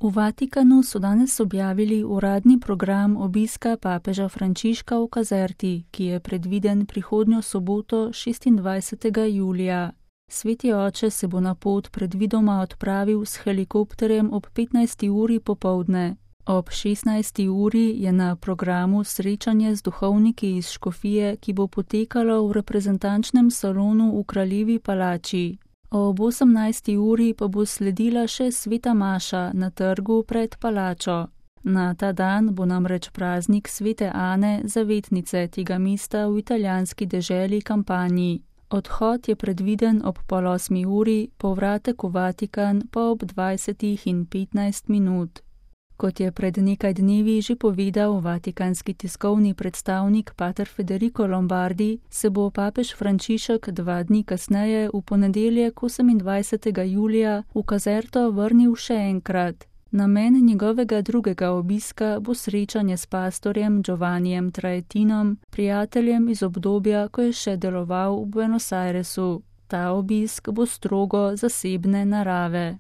V Vatikanu so danes objavili uradni program obiska papeža Frančiška v Caserti, ki je predviden prihodnjo soboto 26. julija. Sveti oče se bo na pot predvidoma odpravil s helikopterjem ob 15. uri popoldne. Ob 16. uri je na programu srečanje z duhovniki iz škofije, ki bo potekalo v reprezentančnem salonu v Kraljevi palači. Ob 18. uri pa bo sledila še sveta maša na trgu pred palačo. Na ta dan bo namreč praznik svete Ane, zavetnice tega mesta v italijanski deželi Kampanji. Odhod je predviden ob 7:30 uri, povratek v Vatikan pa ob 20:15. Kot je pred nekaj dnevi že povedal vatikanski tiskovni predstavnik pater Federico Lombardi, se bo papež Frančišek 2 dni kasneje v ponedeljek 28. julija v Caserto vrnil še enkrat. Namen njegovega drugega obiska bo srečanje s pastorjem Giovannijem Traetinom, prijateljem iz obdobja, ko je še deloval v Buenos Airesu. Ta obisk bo strogo zasebne narave.